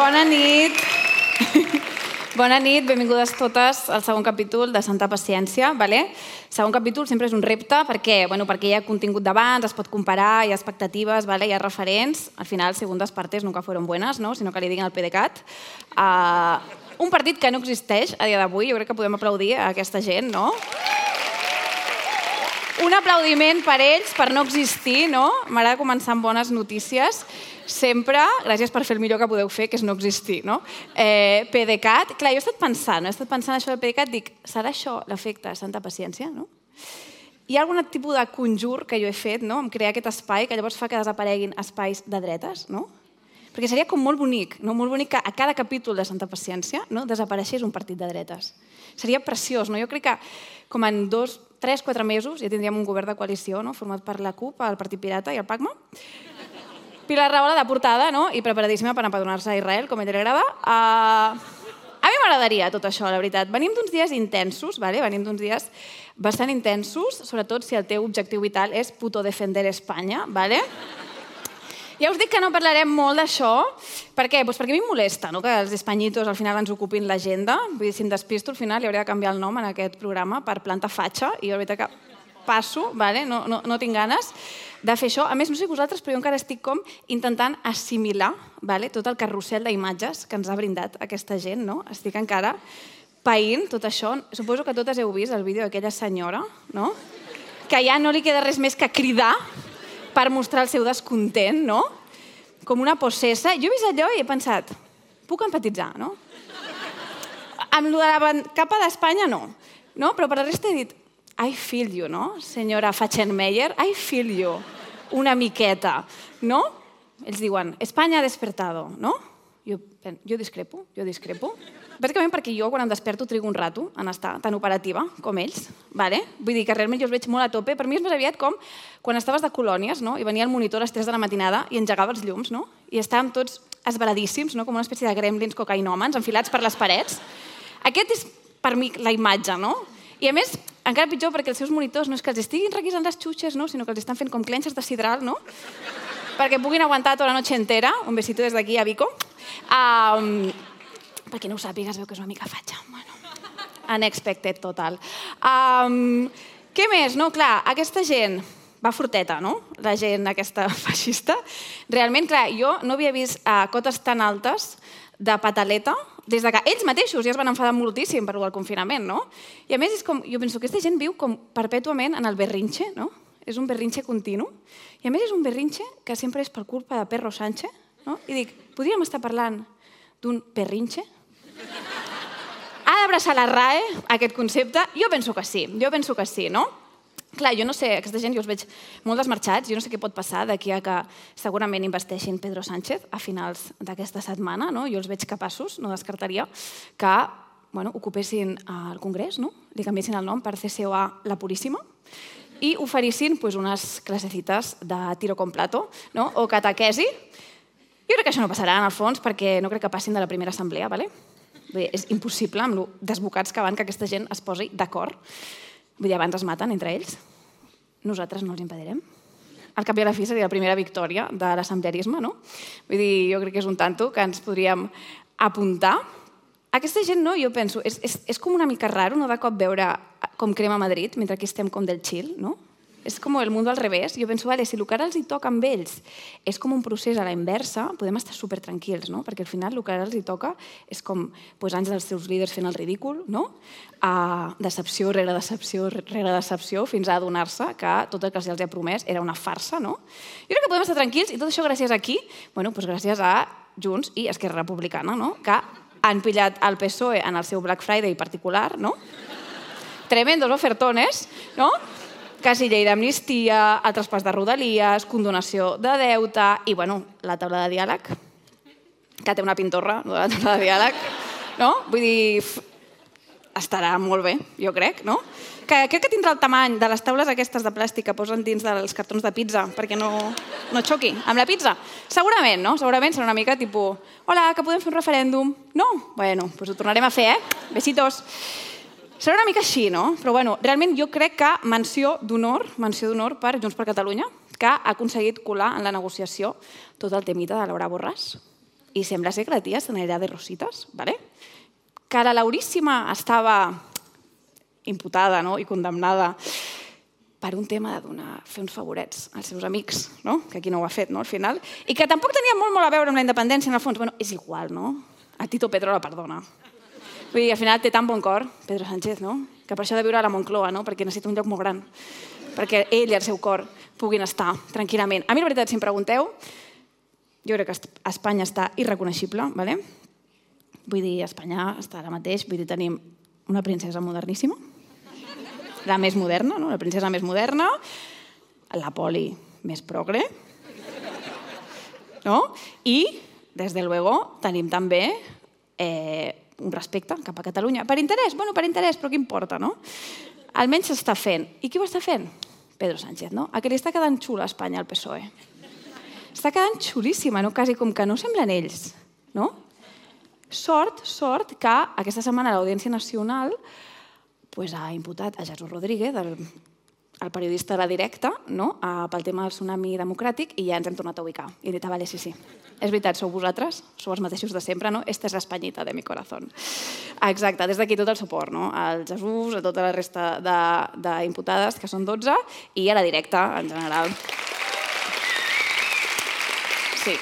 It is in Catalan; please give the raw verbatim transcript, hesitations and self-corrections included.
Bona nit. Bona nit, benvingudes totes al segon capítol de Santa Paciència. El segon capítol sempre és un repte perquè hi ha contingut d'abans, es pot comparar, hi ha expectatives, hi ha referents. Al final, segundas partes nunca fueron buenas, sinó que li diguin al PDeCAT. Un partit que no existeix a dia d'avui, jo crec que podem aplaudir a aquesta gent, no? Un aplaudiment per ells, per no existir, no? M'agrada començar amb bones notícies. Sempre, gràcies per fer el millor que podeu fer, que és no existir, no? PDeCAT, clar, jo he estat pensant, he estat pensant això del PDeCAT, dic, serà això l'efecte Santa Paciència, no? Hi ha algun tipus de conjur que jo he fet, no?, en crear aquest espai, que llavors fa que desapareguin espais de dretes, no? Perquè seria com molt bonic, no? Molt bonic que a cada capítol de Santa Paciència desapareixés un partit de dretes. Seria preciós, no? Jo crec que com en dos, tres, quatre mesos ja tindríem un govern de coalició, no?, format per la CUP, el Partit Pirata i el PACMA. Pilar Rahola de portada, no?, i preparadíssima per empadronar-se a Israel, com a ell li agrada. A mi m'agradaria tot això, la veritat. Venim d'uns dies intensos, venim d'uns dies bastant intensos, sobretot si el teu objectiu vital és puto defender Espanya, vale? Ja us dic que no parlarem molt d'això. Per què? Doncs perquè a mi em molesta que els espanyitos al final ens ocupin l'agenda. Vull dir, si em despisto, al final li hauria de canviar el nom en aquest programa per Planta Fatxa, i jo la veritat que passo, no tinc ganes de fer això. A més, no sé vosaltres, però jo encara estic com intentant assimilar tot el carrusel d'imatges que ens ha brindat aquesta gent, no? Estic encara païnt tot això. Suposo que totes heu vist el vídeo d'aquella senyora, no?, que ja no li queda res més que cridar per mostrar el seu descontent, no? Com una possessa. Jo he vist allò i he pensat, puc empatitzar, no? Amb lo de la capa d'Espanya, no. Però per la resta he dit, I feel you, no, senyora Fatxenmeier? I feel you, una miqueta, no? Ells diuen, Espanya ha despertado, no? Jo discrepo, jo discrepo. Bàsicament perquè jo, quan em desperto, trigo un rato en estar tan operativa com ells. Vull dir que realment jo els veig molt a tope. Per mi és més aviat com quan estaves de colònies i venia el monitor a les tres de la matinada i engegava els llums i estàvem tots esveradíssims, com una espècie de gremlins cocainòmens enfilats per les parets. Aquest és, per mi, la imatge, no? I a més, encara pitjor perquè els seus monitors no és que els estiguin requisant les xutxes, sinó que els estan fent com clenxes de sidral, no? Perquè puguin aguantar tota la noche entera. Un besito des d'aquí a Vico. Perquè no ho sàpigues, veu que és una mica fatxa. Unexpected total. Què més? No, clar, aquesta gent va forteta, no? La gent aquesta feixista. Realment, clar, jo no havia vist cotes tan altes de pataleta des que ells mateixos ja es van enfadar moltíssim per el confinament, no? I a més, jo penso que aquesta gent viu com perpètuament en el berrinxe, no? És un berrinxe continu. I a més és un berrinxe que sempre és per culpa de Perro Sánchez, no? I dic, podríem estar parlant d'un perrinxe? Ha d'abraçar la RAE, aquest concepte? Jo penso que sí, jo penso que sí, no? Clar, jo no sé, aquesta gent jo els veig molt desmarxats, jo no sé què pot passar d'aquí a que segurament investeixin Pedro Sánchez a finals d'aquesta setmana, no? Jo els veig capaços, no descartaria, que ocupessin el Congrés, no? Li canviessin el nom per C C O A La Puríssima i oferissin unes clasecites de tiro con plato o catequesi. Jo crec que això no passarà, en el fons, perquè no crec que passin de la primera assemblea, d'acord? És impossible, amb el desbocats que van, que aquesta gent es posi d'acord. Vull dir, abans es maten entre ells. Nosaltres no els impedirem. Al cap i a la fi seria la primera victòria de l'assemblearisme, no? Vull dir, jo crec que és un tanto que ens podríem apuntar. Aquesta gent, no, jo penso, és com una mica raro, no, de cop veure com crema Madrid, mentre aquí estem com del chill, no? És com el mundo al revés. Jo penso, vale, si el que ara els hi toca amb ells és com un procés a la inversa, podem estar supertranquils, no? Perquè al final el que ara els hi toca és com anys dels seus líders fent el ridícul, no? Decepció rere decepció rere decepció, fins a adonar-se que tot el que els ha promès era una farsa, no? Jo crec que podem estar tranquils i tot això gràcies a qui? Bueno, doncs gràcies a Junts i Esquerra Republicana, no? Que han pillat el P S O E en el seu Black Friday particular, no? Tremendos ofertones, no? Quasi llei d'amnistia, el traspàs de rodalies, condonació de deute i, bueno, la taula de diàleg, que té una pintorra, la taula de diàleg, no? Vull dir, estarà molt bé, jo crec, no? Crec que tindrà el tamany de les taules aquestes de plàstic que posen dins dels cartons de pizza perquè no xoqui amb la pizza. Segurament, no? Segurament serà una mica tipus, hola, que podem fer un referèndum? No? Bueno, doncs ho tornarem a fer, eh? Besitos. Serà una mica així, no? Però, bueno, realment jo crec que menció d'honor, menció d'honor per Junts per Catalunya, que ha aconseguit colar en la negociació tot el temita de Laura Borràs i sembla ser que la tia se n'anirà de rositas, ¿vale? Que la Lauríssima estava imputada, no?, i condemnada per un tema de donar, fer uns favorets als seus amics, no?, que aquí no ho ha fet, no?, al final, i que tampoc tenia molt, molt a veure amb la independència, en el fons. Bueno, és igual, no? A Tito Pedro la perdona. Vull dir, al final té tan bon cor, Pedro Sánchez, no?, que per això ha de viure a la Moncloa, no?, perquè necessita un lloc molt gran, perquè ell i el seu cor puguin estar tranquil·lament. A mi, la veritat, si em pregunteu, jo crec que Espanya està irreconeixible, ¿vale? Vull dir, Espanya està ara mateix, vull dir, tenim una princesa moderníssima, la més moderna, no?, la princesa més moderna, la poli més progre, no? I, des de luego, tenim també eh, un respecte cap a Catalunya. Per interès? Bueno, per interès, però què importa, no? Almenys s'està fent. I qui ho està fent? Pedro Sánchez, no? A que li està quedant xula a Espanya el P S O E. Està quedant xulíssima, no? Quasi com que no semblen ells, no? Sort, sort que aquesta setmana l'Audiència Nacional ha imputat a Jesús Rodríguez, el periodista de La Directa, pel tema del tsunami democràtic, i ja ens hem tornat a ubicar. I he dit, vale, sí, sí, és veritat, sou vosaltres, sou els mateixos de sempre, no? Esta és l'Espanyita de mi corazón. Exacte, des d'aquí tot el suport, no? Al Jesús, a tota la resta d'imputades, que són dotze, i a La Directa, en general. Sí.